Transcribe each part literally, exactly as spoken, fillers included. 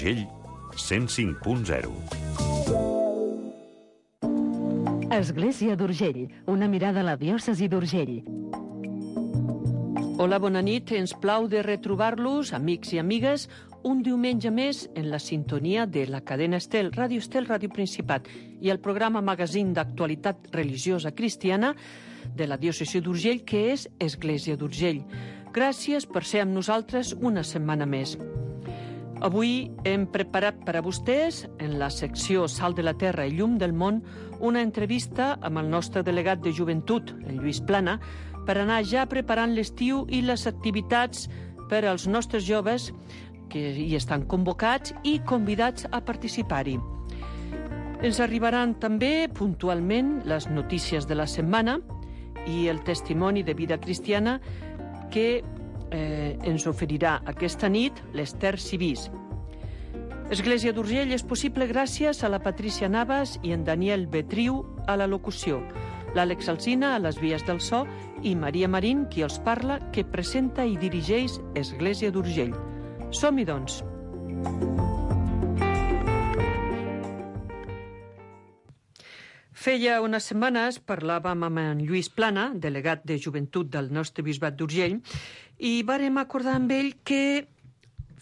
d'Urgell, cent cinc punt zero. Església d'Urgell, una mirada a la diòcesi d'Urgell. Hola, bona nit. Ens plau de retrobar-los, amics i amigues, un diumenge més en la sintonia de la cadena Estel, Ràdio Estel, Ràdio Principat, i el programa magazín d'actualitat religiosa cristiana de la diòcesi d'Urgell, que és Església d'Urgell. Gràcies per ser amb nosaltres una setmana més. Avui hem preparat per a vostès, en la secció Sal de la Terra i Llum del Món, una entrevista amb el nostre delegat de joventut, el Lluís Plana, per anar ja preparant l'estiu i les activitats per als nostres joves que hi estan convocats i convidats a participar-hi. Ens arribaran també puntualment les notícies de la setmana i el testimoni de vida cristiana que eh, ens oferirà aquesta nit l'Ester Cibís. Església d'Urgell és possible gràcies a la Patricia Navas i en Daniel Betriu a la locució, l'Àlex Alsina a les vies del so i Maria Marín, qui els parla, que presenta i dirigeix Església d'Urgell. Som-hi, doncs. Feia unes setmanes parlàvem amb en Lluís Plana, delegat de joventut del nostre bisbat d'Urgell, i vàrem acordar amb ell que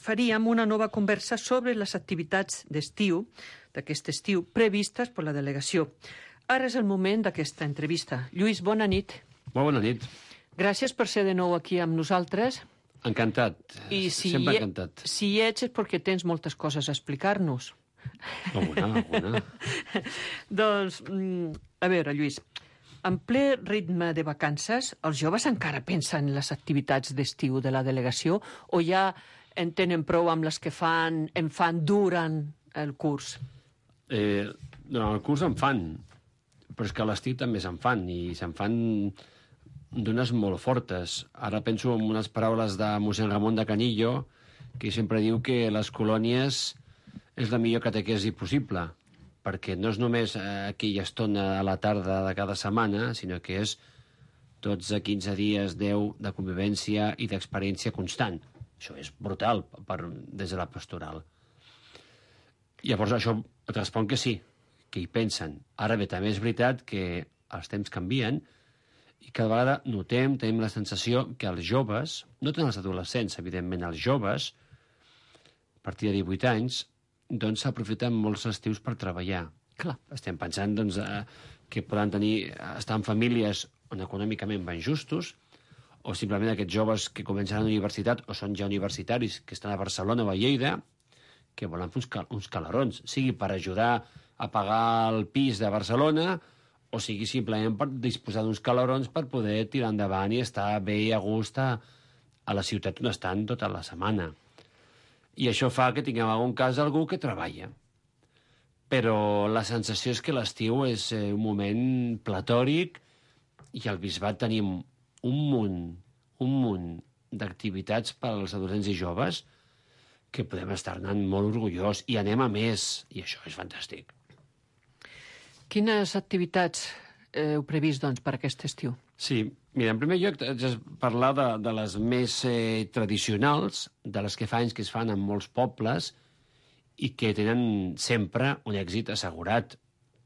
faríem una nova conversa sobre les activitats d'estiu, d'aquest estiu, previstes per la delegació. Ara és el moment d'aquesta entrevista. Lluís, bona nit. Molt bona nit. Gràcies per ser de nou aquí amb nosaltres. Encantat. I si Sempre hi, encantat. Si hi ets és perquè tens moltes coses a explicar-nos. Alguna, alguna. Doncs, a veure, Lluís, en ple ritme de vacances, els joves encara pensen en les activitats d'estiu de la delegació o ja en tenen prou amb les que fan, en fan durant el curs? Eh, durant el curs en fan, però és que a l'estiu també se'n fan, i se'n fan d'unes molt fortes. Ara penso en unes paraules de mossèn Ramon de Canillo, que sempre diu que les colònies és la millor catequesi possible, perquè no és només aquella estona a la tarda de cada setmana, sinó que és dotze, quinze dies, deu de convivència i d'experiència constant. Això és brutal per, des de la pastoral. Llavors això respon que sí, que hi pensen. Ara bé, també és veritat que els temps canvien i cada vegada notem, tenim la sensació que els joves, no tant els adolescents, evidentment, els joves, a partir de divuit anys, doncs s'aprofiten molts estius per treballar. Clar. Estem pensant doncs, eh, que poden tenir, estar en famílies on econòmicament van justos, o simplement aquests joves que comencen a la universitat o són ja universitaris, que estan a Barcelona o a Lleida, que volen fer uns, cal uns calarons, sigui per ajudar a pagar el pis de Barcelona, o sigui simplement per disposar d'uns calarons per poder tirar endavant i estar bé i a gust a, a la ciutat on estan tota la setmana. I això fa que tinguem en algun cas algú que treballa. Però la sensació és que l'estiu és un moment platòric i al bisbat tenim un munt, un munt d'activitats per als adolescents i joves que podem estar anant molt orgullós i anem a més, i això és fantàstic. Quines activitats heu previst, doncs, per aquest estiu? Sí, mira, en primer lloc haig de parlar de, de les més eh, tradicionals, de les que fa anys que es fan en molts pobles i que tenen sempre un èxit assegurat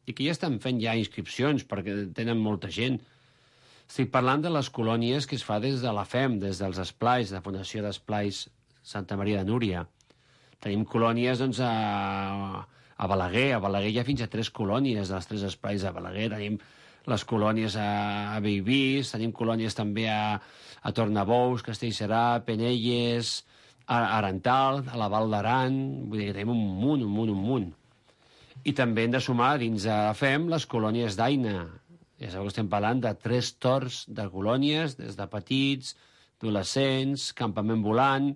i que ja estan fent ja inscripcions perquè tenen molta gent. Estic parlant de les colònies que es fa des de la F E M, des dels esplais, de la Fundació d'Esplais Santa Maria de Núria. Tenim colònies, doncs, a, a Balaguer. A Balaguer hi ha fins a tres colònies dels tres esplais de Balaguer. Tenim les colònies a, a Bellvís, tenim colònies també a, a Tornabous, Castellserà, Penelles, a Arental, a la Val d'Aran. Vull dir que tenim un munt, un munt, un munt. I també hem de sumar dins de F E M les colònies d'Aina. Ja sabeu que estem parlant de tres torns de colònies, des de petits, adolescents, campament volant.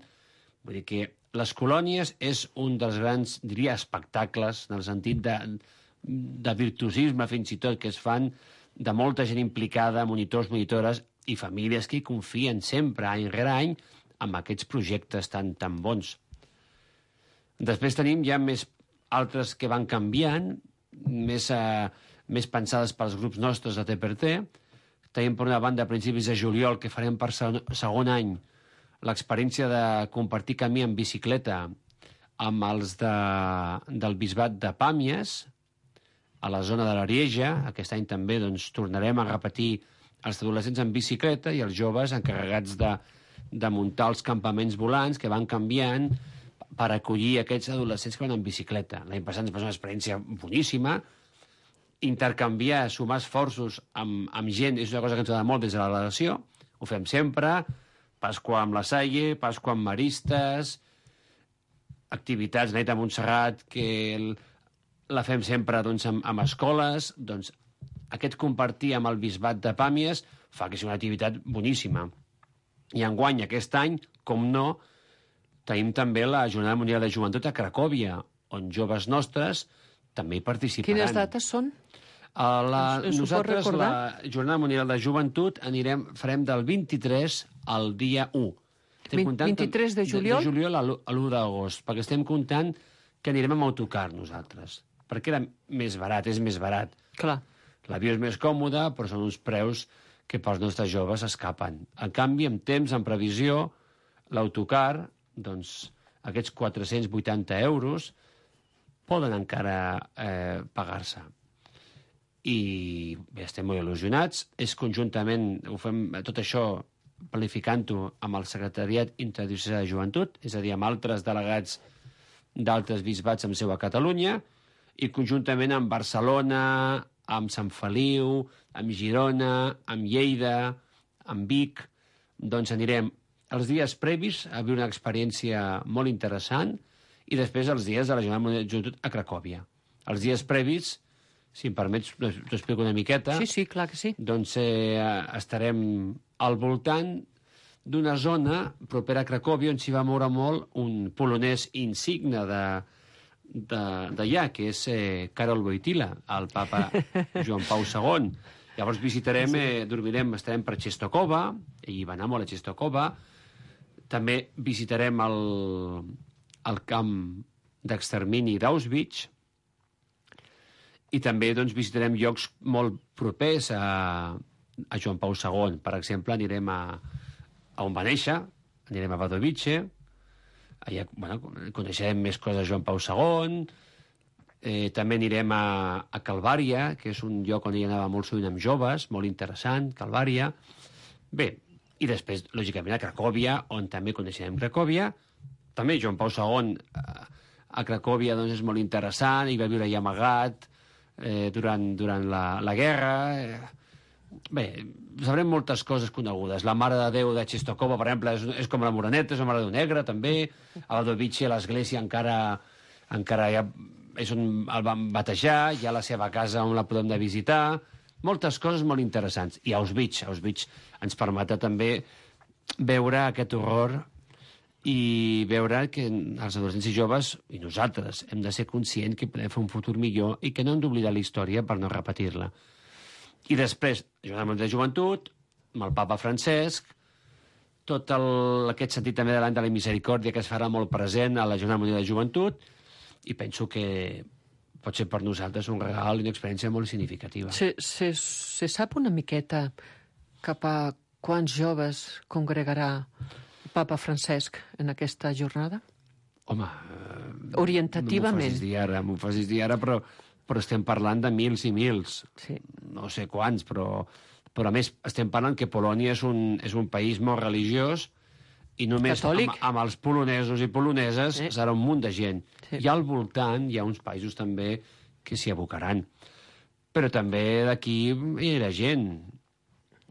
Vull dir que les colònies és un dels grans, diria, espectacles, en el sentit de, de virtuosisme, fins i tot, que es fan de molta gent implicada, monitors, monitores i famílies que hi confien sempre, any rere any, amb aquests projectes tan, tan bons. Després tenim ja més altres que van canviant, més, eh, més pensades pels grups nostres de T per T. Tenim per una banda a principis de juliol que farem per segon any l'experiència de compartir camí en bicicleta amb els de, del bisbat de Pàmies, a la zona de l'Arieja. Aquest any també doncs, tornarem a repetir els adolescents en bicicleta i els joves encarregats de, de muntar els campaments volants que van canviant per acollir aquests adolescents que van en bicicleta. L'any passat ens va ser una experiència boníssima. Intercanviar, sumar esforços amb, amb gent és una cosa que ens agrada molt des de la relació. Ho fem sempre. Pasqua amb la Salle, Pasqua amb Maristes, activitats, Nit a Montserrat, que el, la fem sempre doncs, amb, amb escoles. Doncs aquest compartir amb el bisbat de Pàmies fa que sigui una activitat boníssima. I enguany, aquest any, com no, tenim també la Jornada Mundial de Joventut a Cracòvia, on joves nostres també hi participaran. Quines dates són? A la, Us, us nosaltres, la Jornada Mundial de Joventut, anirem, farem del vint-i-tres al dia u. Estem vint-i-tres de juliol? De, de juliol a l'u d'agost, perquè estem comptant que anirem amb autocar nosaltres, perquè era més barat, és més barat. Clar. L'avió és més còmode, però són uns preus que pels nostres joves escapen. En canvi, amb temps, en previsió, l'autocar, doncs, aquests quatre-cents vuitanta euros poden encara eh, pagar-se. I bé, estem molt il·lusionats. És conjuntament, ho fem tot això planificant-ho amb el Secretariat Interdiocesà de Joventut, és a dir, amb altres delegats d'altres bisbats amb seu a Catalunya, i conjuntament amb Barcelona, amb Sant Feliu, amb Girona, amb Lleida, amb Vic. Doncs anirem els dies previs a viure una experiència molt interessant i després els dies de la Jornada Mundial de Joventut a Cracòvia. Els dies previs, si em permets, t'ho explico una miqueta. Sí, sí, clar que sí. Doncs eh, estarem al voltant d'una zona propera a Cracòvia on s'hi va moure molt un polonès insigne de d'allà, que és eh, Karol Wojtyla, el papa Joan Pau segon. Llavors visitarem, eh, dormirem, estarem per Czestochowa, ell va anar molt a Czestochowa. També visitarem el, el camp d'extermini d'Auschwitz i també doncs, visitarem llocs molt propers a, a Joan Pau segon. Per exemple, anirem a, a on va néixer, anirem a Wadowice, allà bueno, coneixerem més coses de Joan Pau segon, eh, també anirem a, a Calvària, que és un lloc on hi anava molt sovint amb joves, molt interessant, Calvària. Bé, i després, lògicament, a Cracòvia, on també coneixerem Cracòvia. També Joan Pau segon a, a Cracòvia doncs, és molt interessant, hi va viure allà amagat eh, durant, durant la, la guerra. Eh, Bé, sabrem moltes coses conegudes. La Mare de Déu de Czestochowa, per exemple, és, és com la Moreneta, és la Mare de Déu Negra, també. A Wadowice, l'església encara, encara ja és on el van batejar, hi ha la seva casa on la podem de visitar. Moltes coses molt interessants. I Auschwitz, Auschwitz ens permet també veure aquest horror i veure que els adolescents i joves, i nosaltres, hem de ser conscients que podem fer un futur millor i que no hem d'oblidar la història per no repetir-la. I després, Jornada Mundial de Joventut, amb el papa Francesc, tot el, aquest sentit també de l'any de la misericòrdia que es farà molt present a la Jornada Mundial de Joventut, i penso que pot ser per nosaltres un regal i una experiència molt significativa. Se, se, se sap una miqueta cap a quants joves congregarà el papa Francesc en aquesta jornada? Home, eh, orientativament. No m'ho facis dir ara, m'ho facis dir ara, però... però estem parlant de mils i mils. Sí. No sé quants, però, però a més estem parlant que Polònia és un, és un país molt religiós i només amb, amb els polonesos i poloneses sí. serà un munt de gent. Sí. I al voltant hi ha uns països també que s'hi abocaran. Però també d'aquí hi ha gent.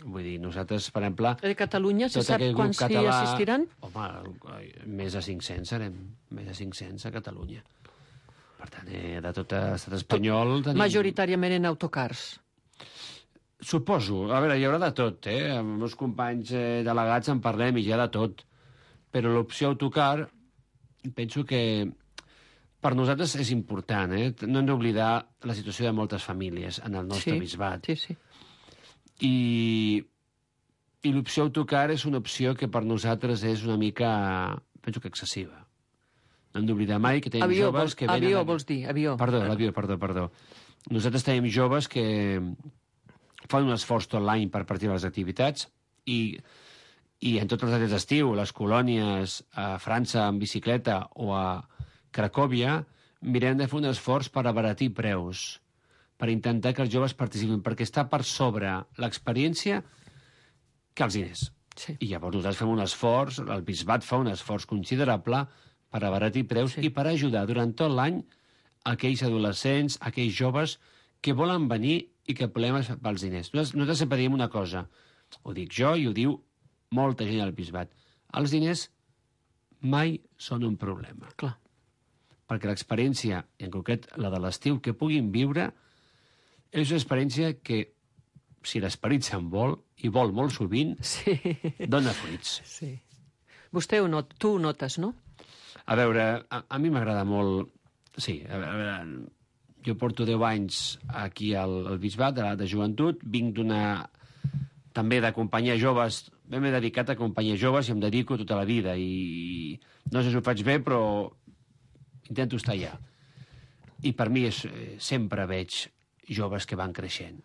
Vull dir, nosaltres, per exemple... De Catalunya, se sap quants català... hi assistiran? Home, més de cinc-cents serem. Més de cinc-cents a Catalunya. Per tant, eh, de tot l'estat espanyol... Tenim... Majoritàriament en autocars. Suposo. A veure, hi haurà de tot, eh? Amb els meus companys eh, delegats en parlem i hi ha de tot. Però l'opció autocar, penso que per nosaltres és important, eh? No hem d'oblidar la situació de moltes famílies en el nostre sí, bisbat. Sí, sí. I, i l'opció autocar és una opció que per nosaltres és una mica, penso que excessiva. No hem d'oblidar mai que tenim avió, joves vols, que venen... Avió, vols dir, avió. Perdó, l'avió, perdó, perdó. Nosaltres tenim joves que fan un esforç tot l'any per partir de les activitats i, i en tots els dies d'estiu, les colònies a França en bicicleta o a Cracòvia, mirem de fer un esforç per abaratir preus, per intentar que els joves participin, perquè està per sobre l'experiència que els diners. Sí. I llavors nosaltres fem un esforç, el bisbat fa un esforç considerable per abaratir preus Sí. i per ajudar durant tot l'any aquells adolescents, aquells joves que volen venir i que el problema és pels diners. Nosaltres, nosaltres sempre diem una cosa, ho dic jo i ho diu molta gent al bisbat. Els diners mai són un problema. Clar. Perquè l'experiència, i en concret la de l'estiu, que puguin viure, és una experiència que, si l'esperit se'n vol, i vol molt sovint, Sí. dona fruits. Sí. Vostè ho not, tu ho notes, no? A veure, a, a mi m'agrada molt... Sí, a veure, jo porto deu anys aquí al, al Bisbat, de, de joventut, vinc d'una... també d'acompanyar joves, m'he dedicat a acompanyar joves i em dedico tota la vida, i no sé si ho faig bé, però intento estar allà. I per mi és, eh, sempre veig joves que van creixent.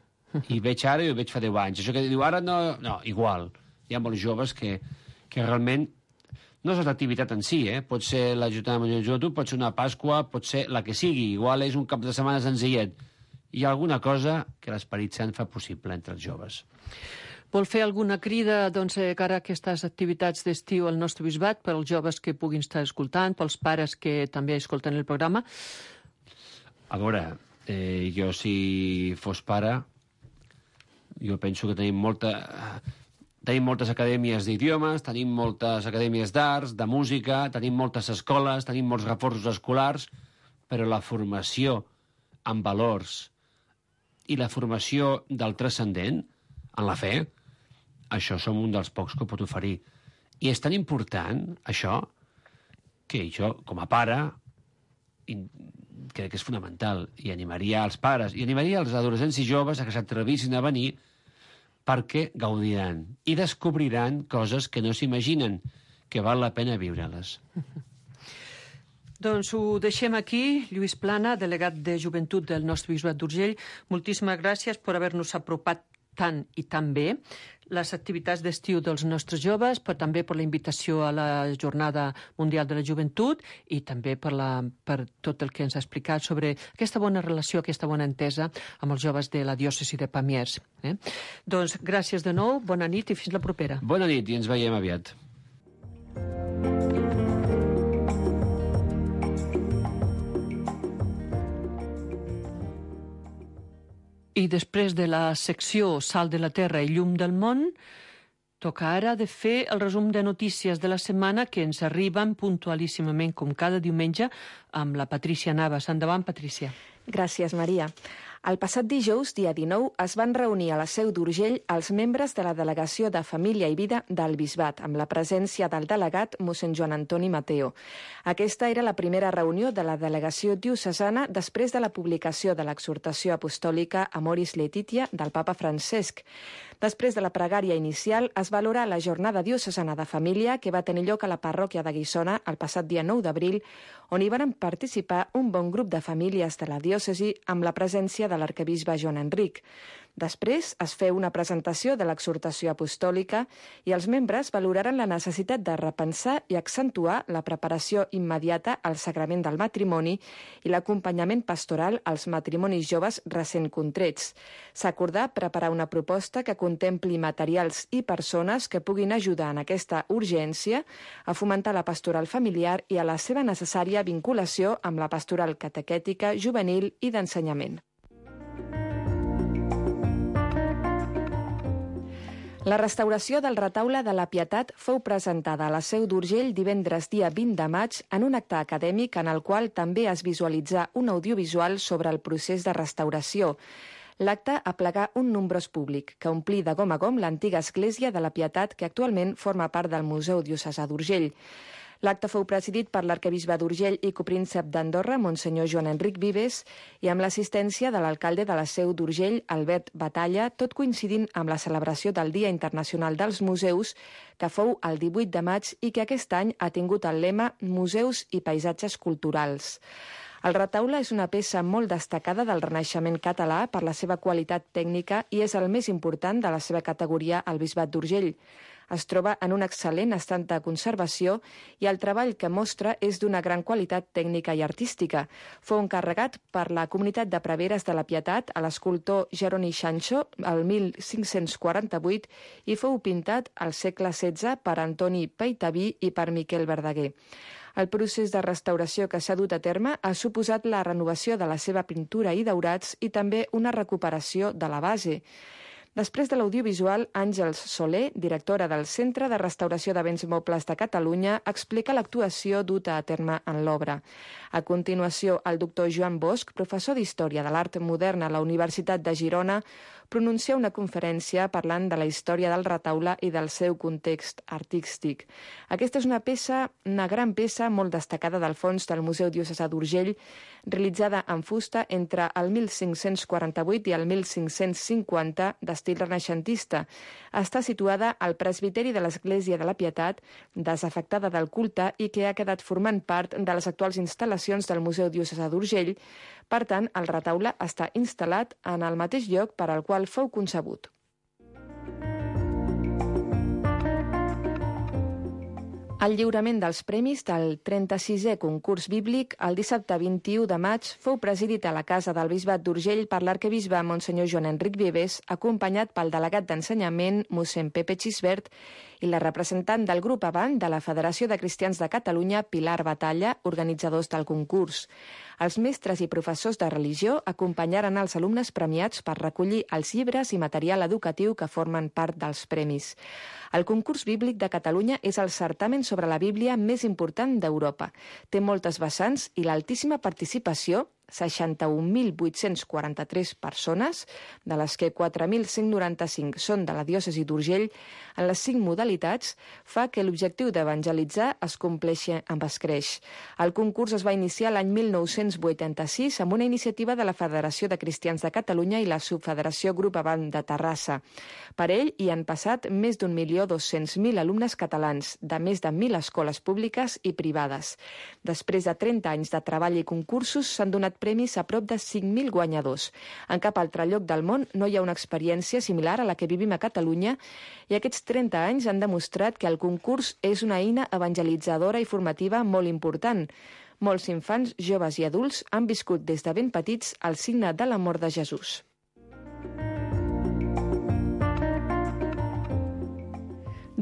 I veig ara i ho veig fa deu anys. Això que diu ara no... No, igual. Hi ha molts joves que, que realment... No és l'activitat en si, eh? Pot ser la Jornada Mundial de Joventut, pot ser una Pasqua, pot ser la que sigui. Igual és un cap de setmana senzillet. Hi ha alguna cosa que l'Esperit Sant fa possible entre els joves. Vol fer alguna crida doncs, eh, cara a aquestes activitats d'estiu al nostre bisbat, pels joves que puguin estar escoltant, pels pares que també escolten el programa? A veure, eh, jo si fos pare, jo penso que tenim molta... Tenim moltes acadèmies d'idiomes, tenim moltes acadèmies d'arts, de música, tenim moltes escoles, tenim molts reforços escolars, però la formació en valors i la formació del transcendent, en la fe, això som un dels pocs que ho pot oferir. I és tan important, això, que jo, com a pare, crec que és fonamental, i animaria els pares, i animaria els adolescents i joves a que s'atrevissin a venir, perquè gaudiran i descobriran coses que no s'imaginen, que val la pena viure-les. Doncs ho deixem aquí. Lluís Plana, delegat de Joventut del nostre bisbat d'Urgell, moltíssimes gràcies per haver-nos apropat tant i tan bé les activitats d'estiu dels nostres joves, però també per la invitació a la Jornada Mundial de la Joventut i també per, la, per tot el que ens ha explicat sobre aquesta bona relació, aquesta bona entesa amb els joves de la diòcesi de Pamiers. Eh? Doncs gràcies de nou, bona nit i fins la propera. Bona nit i ens veiem aviat. I després de la secció Sal de la Terra i Llum del Món, toca ara de fer el resum de notícies de la setmana que ens arriben puntualíssimament, com cada diumenge, amb la Patrícia Navas. Endavant, Patrícia. Gràcies, Maria. El passat dijous, dia dinou, es van reunir a la Seu d'Urgell els membres de la Delegació de Família i Vida del Bisbat, amb la presència del delegat mossèn Joan Antoni Mateo. Aquesta era la primera reunió de la delegació diocesana després de la publicació de l'exhortació apostòlica Amoris Laetitia del papa Francesc. Després de la pregària inicial, es valora la jornada diocesana de família que va tenir lloc a la parròquia de Guissona el passat dia nou d'abril, on hi van participar un bon grup de famílies de la diòcesi amb la presència de l'arquebisbe Joan Enric. Després es feu una presentació de l'exhortació apostòlica i els membres valoraren la necessitat de repensar i accentuar la preparació immediata al sagrament del matrimoni i l'acompanyament pastoral als matrimonis joves recent contrets. S'acordà preparar una proposta que contempli materials i persones que puguin ajudar en aquesta urgència a fomentar la pastoral familiar i a la seva necessària vinculació amb la pastoral catequètica, juvenil i d'ensenyament. La restauració del retaule de la Pietat fou presentada a la Seu d'Urgell divendres dia vint de maig en un acte acadèmic en el qual també es visualitzà un audiovisual sobre el procés de restauració. L'acte aplegà un nombrós públic, que omplí de gom a gom l'antiga església de la Pietat que actualment forma part del Museu Diocesà d'Urgell. L'acte fou presidit per l'arquebisbe d'Urgell i copríncep d'Andorra, Monsenyor Joan Enric Vives, i amb l'assistència de l'alcalde de la Seu d'Urgell, Albert Batalla, tot coincidint amb la celebració del Dia Internacional dels Museus, que fou el divuit de maig i que aquest any ha tingut el lema Museus i paisatges culturals. El retaule és una peça molt destacada del Renaixement català per la seva qualitat tècnica i és el més important de la seva categoria al Bisbat d'Urgell. Es troba en un excel·lent estat de conservació i el treball que mostra és d'una gran qualitat tècnica i artística. Fou encarregat per la comunitat de preveres de la Pietat a l'escultor Jeroni Sancho el mil cinc-cents quaranta-vuit i fou pintat al segle setze per Antoni Peitaví i per Miquel Verdaguer. El procés de restauració que s'ha dut a terme ha suposat la renovació de la seva pintura i daurats i també una recuperació de la base. Després de l'audiovisual, Àngels Soler, directora del Centre de Restauració de Béns Mobles de Catalunya, explica l'actuació duta a terme en l'obra. A continuació, el doctor Joan Bosch, professor d'Història de l'Art Modern a la Universitat de Girona, pronuncia una conferència parlant de la història del retaule i del seu context artístic. Aquesta és una peça, una gran peça molt destacada del fons del Museu Diocesà d'Urgell, realitzada en fusta entre el mil cinc-cents quaranta-vuit i el mil cinc-cents cinquanta, d'estil renaixentista. Està situada al presbiteri de l'Església de la Pietat, desafectada del culte i que ha quedat formant part de les actuals instal·lacions del Museu Diocesà d'Urgell. Per tant, el retaule està instal·lat en el mateix lloc per al qual fou concebut. El lliurament dels premis del trenta-sisè concurs bíblic el dissabte vint-i-u de maig fou presidit a la Casa del Bisbat d'Urgell per l'arquebisbe Monsenyor Joan Enric Vives, acompanyat pel delegat d'ensenyament mossèn Pepe Xisbert i la representant del grup Avant de la Federació de Cristians de Catalunya, Pilar Batalla, organitzadors del concurs. Els mestres i professors de religió acompanyaren els alumnes premiats per recollir els llibres i material educatiu que formen part dels premis. El concurs bíblic de Catalunya és el certamen sobre la Bíblia més important d'Europa. Té moltes vessants i l'altíssima participació, seixanta-un mil vuit-cents quaranta-tres persones, de les que quatre mil cent noranta-cinc són de la diòcesi d'Urgell, en les cinc modalitats, fa que l'objectiu d'evangelitzar es compleixi amb escreix. El concurs es va iniciar l'any mil nou-cents vuitanta-sis amb una iniciativa de la Federació de Cristians de Catalunya i la Subfederació Grup Avant de Terrassa. Per ell hi han passat més d'un milió dos-cents mil alumnes catalans, de més de mil escoles públiques i privades. Després de trenta anys de treball i concursos, s'han donat premis a prop de cinc mil guanyadors. En cap altre lloc del món no hi ha una experiència similar a la que vivim a Catalunya i aquests trenta anys han demostrat que el concurs és una eina evangelitzadora i formativa molt important. Molts infants, joves i adults han viscut des de ben petits el signe de l'amor de Jesús.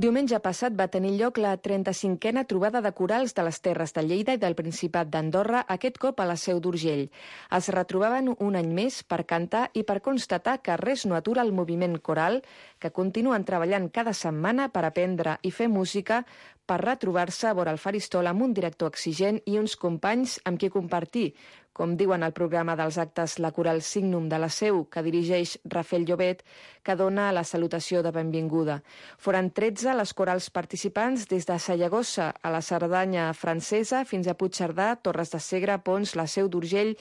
Diumenge passat va tenir lloc la trenta-cinquena trobada de corals de les Terres de Lleida i del Principat d'Andorra, aquest cop a la Seu d'Urgell. Es retrobaven un any més per cantar i per constatar que res no atura el moviment coral, que continuen treballant cada setmana per aprendre i fer música, per retrobar-se a vora el faristol amb un director exigent i uns companys amb qui compartir, com diuen al programa dels actes la coral Signum de la Seu, que dirigeix Rafael Llobet, que dona la salutació de benvinguda. Foren tretze les corals participants des de Sallagosa a la Cerdanya francesa fins a Puigcerdà, Torres de Segre, Pons, la Seu d'Urgell,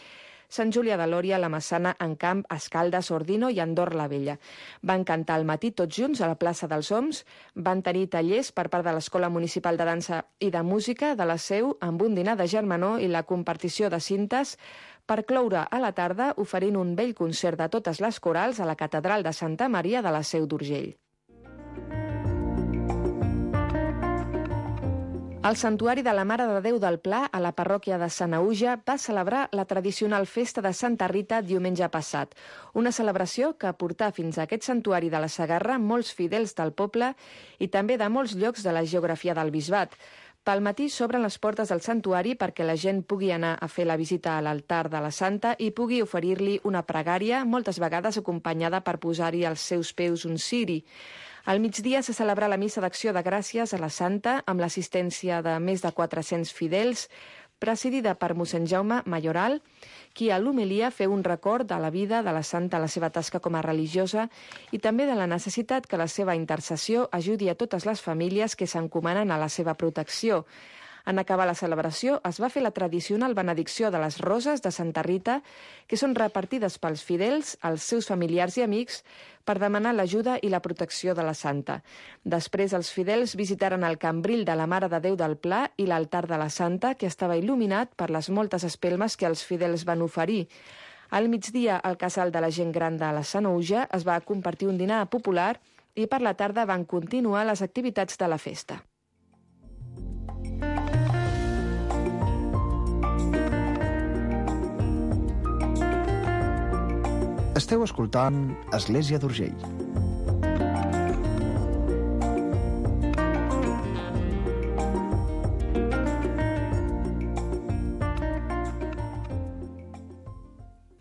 Sant Julià de Lòria, la Massana, Encamp, Escaldes, Ordino i Andorra la Vella. Van cantar al matí tots junts a la plaça dels Oms, van tenir tallers per part de l'Escola Municipal de Dansa i de Música de la Seu amb un dinar de germanor i la compartició de cintes, per cloure a la tarda oferint un bell concert de totes les corals a la Catedral de Santa Maria de la Seu d'Urgell. El Santuari de la Mare de Déu del Pla, a la parròquia de Sanaüja, va celebrar la tradicional festa de Santa Rita diumenge passat. Una celebració que portà fins a aquest santuari de la Segarra molts fidels del poble i també de molts llocs de la geografia del Bisbat. Pel matí s'obren les portes del santuari perquè la gent pugui anar a fer la visita a l'altar de la Santa i pugui oferir-li una pregària, moltes vegades acompanyada per posar-hi als seus peus un ciri. Al migdia se celebra la missa d'acció de gràcies a la Santa amb l'assistència de més de quatre-cents fidels, presidida per mossèn Jaume Mayoral, qui a l'homilia feu un record de la vida de la Santa, la seva tasca com a religiosa i també de la necessitat que la seva intercessió ajudi a totes les famílies que s'encomanen a la seva protecció. En acabar la celebració es va fer la tradicional benedicció de les roses de Santa Rita, que són repartides pels fidels, als seus familiars i amics, per demanar l'ajuda i la protecció de la Santa. Després els fidels visitaren el cambril de la Mare de Déu del Pla i l'altar de la Santa, que estava il·luminat per les moltes espelmes que els fidels van oferir. Al migdia, al casal de la gent gran de la Sanaüja es va compartir un dinar popular i per la tarda van continuar les activitats de la festa. Esteu escoltant Església d'Urgell.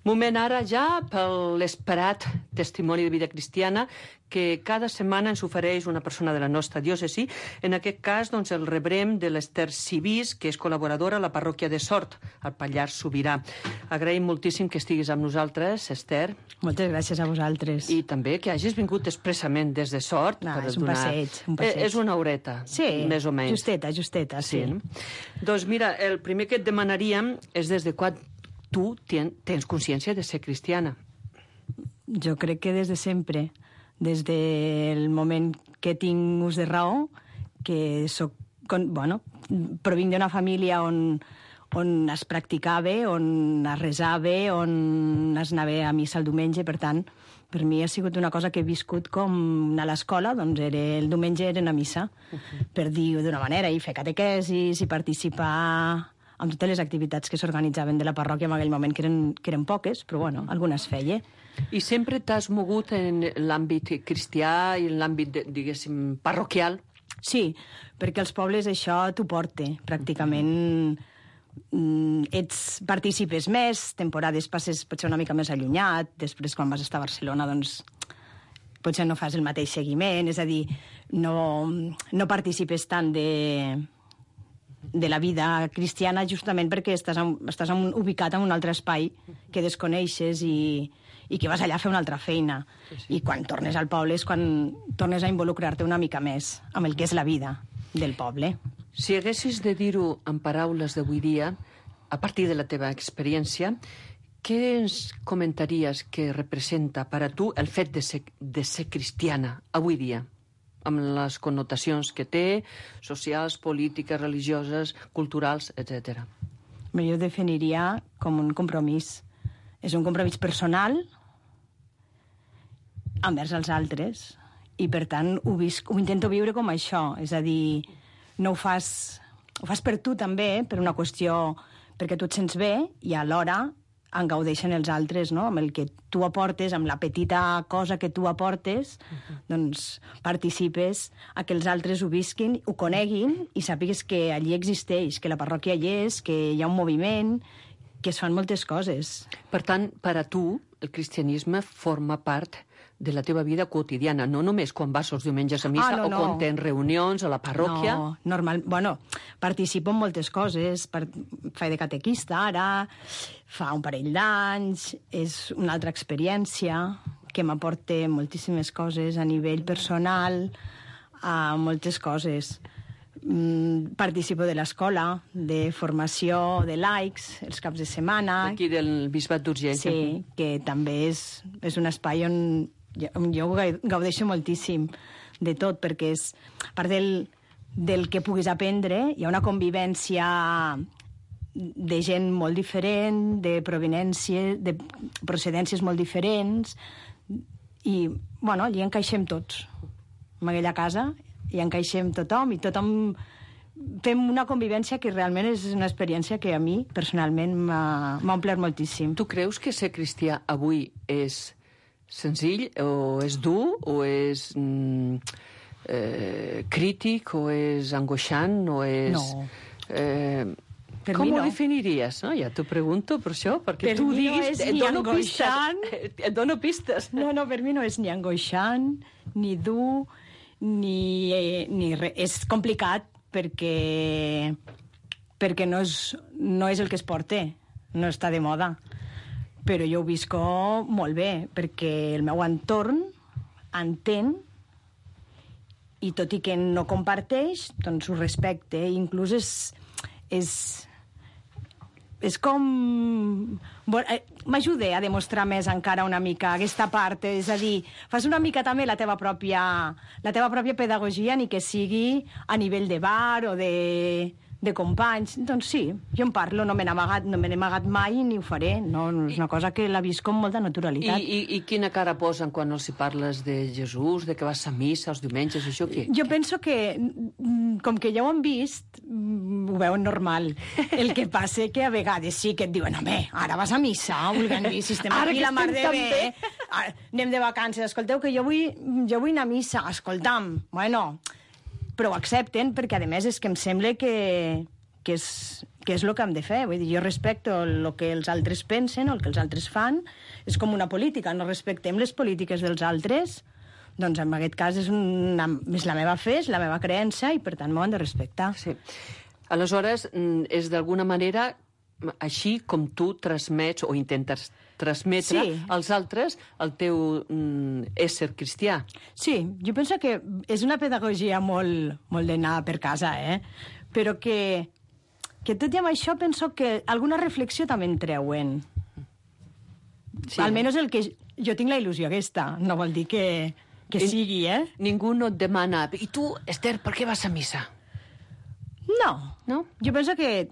Moment ara ja per l'esperat testimoni de vida cristiana que cada setmana ens ofereix una persona de la nostra diòcesi. En aquest cas, doncs, el rebrem de l'Ester Civís, que és col·laboradora a la parròquia de Sort, al Pallars Sobirà. Agraïm moltíssim que estiguis amb nosaltres, Ester. Moltes gràcies a vosaltres. I també que hagis vingut expressament des de Sort. No, per és un donar... passeig, un passeig. Eh, és una horeta, sí, més o menys. justeta, justeta, sí. sí. No? Doncs mira, el primer que et demanaríem és des de quan tu tens consciència de ser cristiana. Jo crec que des de sempre, des del moment que tinc ús de raó, que soc, bueno, provinc d'una família on, on es practicava, on es resava, on es anava a missa el diumenge, per tant, per mi ha sigut una cosa que he viscut com anar a l'escola, doncs era, el diumenge era anar a missa, uh-huh. per dir-ho d'una manera, i fer catequesis, i participar amb totes les activitats que s'organitzaven de la parròquia en aquell moment, que eren, que eren poques, però bueno, algunes feia. I sempre t'has mogut en l'àmbit cristià i en l'àmbit, diguéssim, parroquial? Sí, perquè als pobles això t'ho porta, pràcticament. Ets, participes més, temporades passes potser una mica més allunyat, després quan vas estar a Barcelona, doncs, potser no fas el mateix seguiment, és a dir, no, no participes tant de... de la vida cristiana justament perquè estàs, en, estàs en, ubicat en un altre espai que desconeixes i, i que vas allà a fer una altra feina. Sí, sí. I quan tornes al poble és quan tornes a involucrar-te una mica més amb el que és la vida del poble. Si haguessis de dir-ho en paraules d'avui dia, a partir de la teva experiència, què ens comentaries que representa per a tu el fet de ser, de ser cristiana avui dia? Amb les connotacions que té, socials, polítiques, religioses, culturals, etcètera. Jo ho definiria com un compromís. És un compromís personal envers els altres i, per tant, ho, visc, ho intento viure com això. És a dir, no ho fas... Ho fas per tu, també, per una qüestió... perquè tu et sents bé i alhora en gaudeixen els altres, no? Amb el que tu aportes, amb la petita cosa que tu aportes, uh-huh. doncs participes a que els altres ho visquin, ho coneguin i sàpigues que allí existeix, que la parròquia hi és, que hi ha un moviment, que es fan moltes coses. Per tant, per a tu, el cristianisme forma part de la teva vida quotidiana, no només quan vas els diumenges a missa ah, no, no. o quan tens reunions a la parròquia. No, normal... Bueno, participo en moltes coses. Per... Faig de catequista ara, fa un parell d'anys, és una altra experiència que m'aporta moltíssimes coses a nivell personal, a moltes coses. Mm, participo de l'escola, de formació de laics, els caps de setmana. Aquí del Bisbat d'Urgell. Sí, que també és, és un espai on jo, jo gaudeixo moltíssim de tot, perquè és, a part del, del que puguis aprendre, hi ha una convivència de gent molt diferent, de provenència, de procedències molt diferents, i, bueno, allí encaixem tots. En aquella casa hi encaixem tothom, i tothom fem una convivència que realment és una experiència que a mi, personalment, m'ha omplert moltíssim. Tu creus que ser cristià avui és senzill, o és dur, o és mm, eh, crític, o és angoixant, o és... No. Eh, per com mi ho no. definiries? No? Ja t'ho pregunto per això, perquè per tu mi diguis... No és et ni dono angoixant... pistes. Et dono pistes. No, no, per mi no és ni angoixant, ni dur, ni, eh, ni res. És complicat perquè, perquè no, és, no és el que es porta, no està de moda. Però jo ho visco molt bé, perquè el meu entorn entén, i tot i que no comparteix, doncs ho respecte. Inclús és... és és com... M'ajuda a demostrar més encara una mica aquesta part, és a dir, fas una mica també la teva pròpia, la teva pròpia pedagogia, ni que sigui a nivell de bar o de, de companys. Doncs sí, jo en parlo, no me n'he amagat, no me n'he amagat mai ni ho faré. No, és una cosa que la visc amb molta naturalitat. I, i, I quina cara posen quan els hi parles de Jesús, de que vas a missa els diumenges, això què? Jo penso que, com que ja ho han vist, ho veuen normal. El que passa que a vegades sí que et diuen, home, ara vas a missa, vulguem dir, si estem Ara aquí que la mar estem de tan bé, ara, anem de vacances, escolteu que jo vull, jo vull anar a missa, escolta'm, bueno, però ho accepten perquè, a més, és que em sembla que, que, és, que és el que hem de fer. Vull dir, jo respecto el que els altres pensen o el que els altres fan. És com una política, no respectem les polítiques dels altres. Doncs en aquest cas és, una, és la meva fe, és la meva creença i, per tant, m'ho han de respectar. Sí. Aleshores, és d'alguna manera així com tu transmets o intentes transmetre Sí. als altres el teu mm, ésser cristià. Sí, jo penso que és una pedagogia molt, molt d'anar per casa, eh? Però que, que tot i amb això penso que alguna reflexió també en treuen. Sí. Sí. Almenys el que... Jo tinc la il·lusió aquesta, no vol dir que, que I- sigui, eh? Ningú no et demana, i tu, Esther, per què vas a missa? No. No? Jo penso que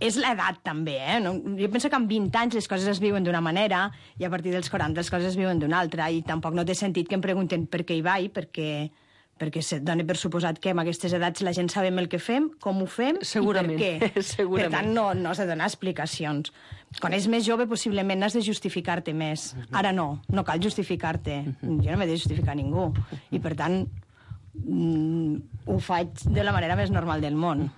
és l'edat, també, eh? No? Jo penso que amb vint anys les coses es viuen d'una manera i a partir dels quaranta les coses es viuen d'una altra i tampoc no té sentit que em pregunten per què hi vaig, perquè, perquè se dona per suposat que en aquestes edats la gent sabem el que fem, com ho fem Segurament, i per què. segurament. Per tant, no, no has de donar explicacions. Quan és més jove, possiblement has de justificar-te més. Ara no, no cal justificar-te. Jo no m'he de justificar a ningú. I, per tant, mm, ho faig de la manera més normal del món.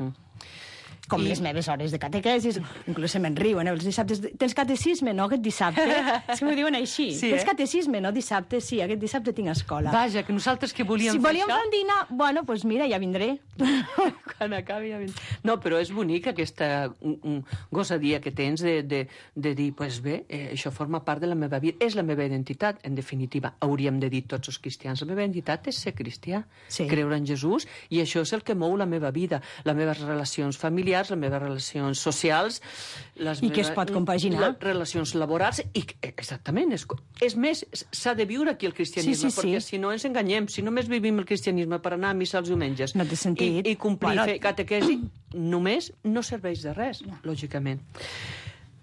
Com I... les meves hores de catequesis, inclús se me'n riuen, eh? Els dissabtes... Tens catecisme, no, aquest dissabte? És que m'ho diuen així. Sí, Tens eh? catecisme, no, dissabte? Sí, aquest dissabte tinc escola. Vaja, que nosaltres que volíem si fer volíem això... fer un dinar, bueno, doncs pues mira, ja vindré. Quan acabi ja vindré. No, però és bonic aquesta un, un gosadia que tens de, de, de dir, pues bé, eh, això forma part de la meva vida, és la meva identitat, en definitiva. Hauríem de dir tots els cristians, la meva identitat és ser cristià, Sí. creure en Jesús, i això és el que mou la meva vida, les meves relacions familiars, les meves relacions socials, les I que es pot compaginar. les relacions laborals, i exactament, és, és més, s'ha de viure aquí el cristianisme, Sí, sí, sí. perquè si no ens enganyem, si només vivim el cristianisme per anar a missa els diumenges No té sentit. i, i complir, Bueno, fer catequesi, només no serveix de res, lògicament.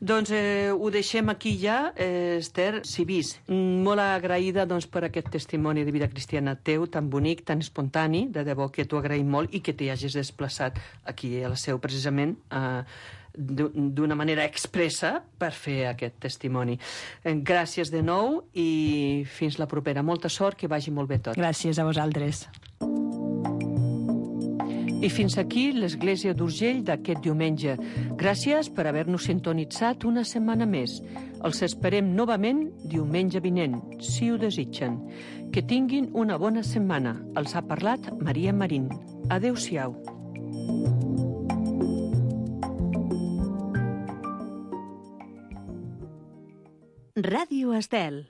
Doncs eh, ho deixem aquí ja, eh, Esther Cibís. Mm, Molt agraïda doncs, per aquest testimoni de vida cristiana teu, tan bonic, tan espontani, de debò que t'ho agraïm molt i que t'hi hagis desplaçat aquí a la seu, precisament, eh, d'una manera expressa per fer aquest testimoni. Eh, Gràcies de nou i fins la propera. Molta sort, que vagi molt bé tot. Gràcies a vosaltres. I fins aquí l'Església d'Urgell d'aquest diumenge. Gràcies per haver-nos sintonitzat una setmana més. Els esperem novament diumenge vinent, si ho desitgen. Que tinguin una bona setmana. Els ha parlat Maria Marín. Adéu-siau. Ràdio Estel.